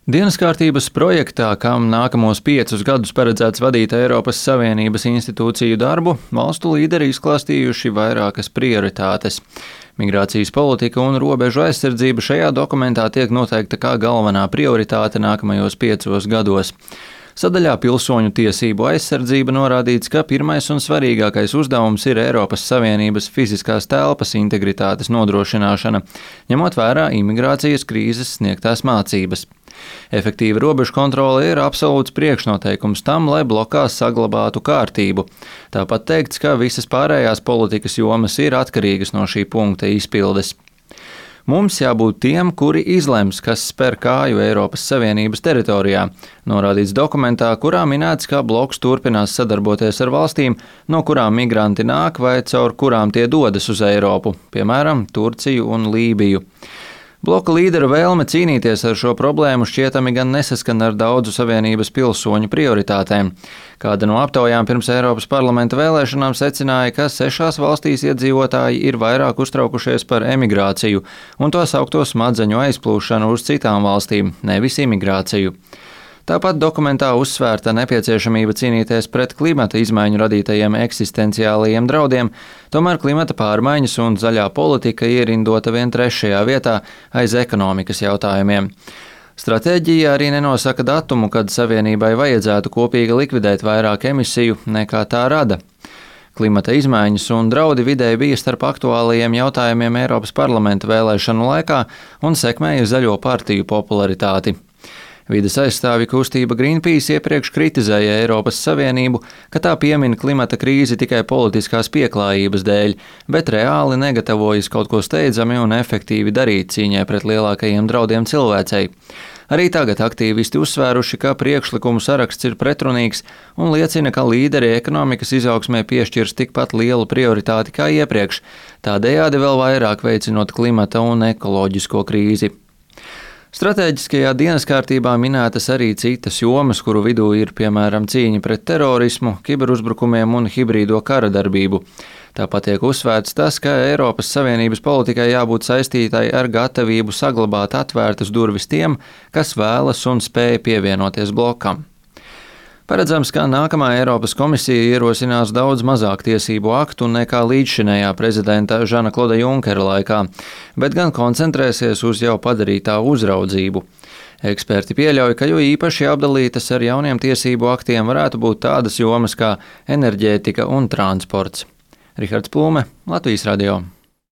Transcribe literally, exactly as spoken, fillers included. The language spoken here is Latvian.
Dienas kārtības projektā, kam nākamos piecus gadus paredzēts vadīt Eiropas Savienības institūciju darbu, valstu līderi izklāstījuši vairākas prioritātes. Migrācijas politika un robežu aizsardzība šajā dokumentā tiek noteikta kā galvenā prioritāte nākamajos piecos gados. Sadaļā pilsoņu tiesību aizsardzība norādīts, ka pirmais un svarīgākais uzdevums ir Eiropas Savienības fiziskās telpas integritātes nodrošināšana, ņemot vērā imigrācijas krīzes sniegtās mācības. Efektīva robežu kontrole ir absolūts priekšnoteikums tam, lai blokās saglabātu kārtību. Tāpat teikts, ka visas pārējās politikas jomas ir atkarīgas no šī punkta izpildes. Mums jābūt tiem, kuri izlems, kas spēr kāju Eiropas Savienības teritorijā, norādīts dokumentā, kurā minēts, ka bloks turpinās sadarboties ar valstīm, no kurām migranti nāk vai caur kurām tie dodas uz Eiropu, piemēram, Turciju un Lībiju. Bloka līdera vēlme cīnīties ar šo problēmu šķietami gan nesaskan ar daudzu Savienības pilsoņu prioritātēm. Kāda no aptaujām pirms Eiropas parlamenta vēlēšanām secināja, ka sešās valstīs iedzīvotāji ir vairāk uztraukušies par emigrāciju un to saukto smadzeņu aizplūšanu uz citām valstīm, nevis imigrāciju. Tāpat dokumentā uzsvērta nepieciešamība cīnīties pret klimata izmaiņu radītajiem eksistenciālajiem draudiem, tomēr klimata pārmaiņas un zaļā politika ierindota vien trešajā vietā aiz ekonomikas jautājumiem. Stratēģija arī nenosaka datumu, kad Savienībai vajadzētu kopīgi likvidēt vairāk emisiju nekā tā rada. Klimata izmaiņas un draudi videi bija starp aktuālajiem jautājumiem Eiropas parlamenta vēlēšanu laikā un sekmēja zaļo partiju popularitāti. Vides aizstāvju kustība Greenpeace iepriekš kritizēja Eiropas Savienību, ka tā piemin klimata krīzi tikai politiskās pieklājības dēļ, bet reāli negatavojas kaut ko steidzami un efektīvi darīt cīņai pret lielākajiem draudiem cilvēcei. Arī tagad aktīvisti uzsvēruši, ka priekšlikumu saraksts ir pretrunīgs un liecina, ka līderi ekonomikas izaugsmē piešķirs tikpat lielu prioritāti kā iepriekš, tādējādi vēl vairāk veicinot klimata un ekoloģisko krīzi. Stratēģiskajā dienas kārtībā minētas arī citas jomas, kuru vidū ir piemēram cīņa pret terorismu, kiberuzbrukumiem un hibrīdo kara darbību. Tāpat tiek uzsvērts tas, ka Eiropas Savienības politikai jābūt saistītai ar gatavību saglabāt atvērtas durvis tiem, kas vēlas un spēj pievienoties blokam. Paredzams, ka nākamā Eiropas komisija ierosinās daudz mazāk tiesību aktu nekā līdzšinējā prezidenta Žana Kloda Junkera laikā, bet gan koncentrēsies uz jau padarītā uzraudzību. Eksperti pieļauj, ka jo īpaši apdalītas ar jauniem tiesību aktiem varētu būt tādas jomas kā enerģētika un transports. Rihards Plūme, Latvijas radio.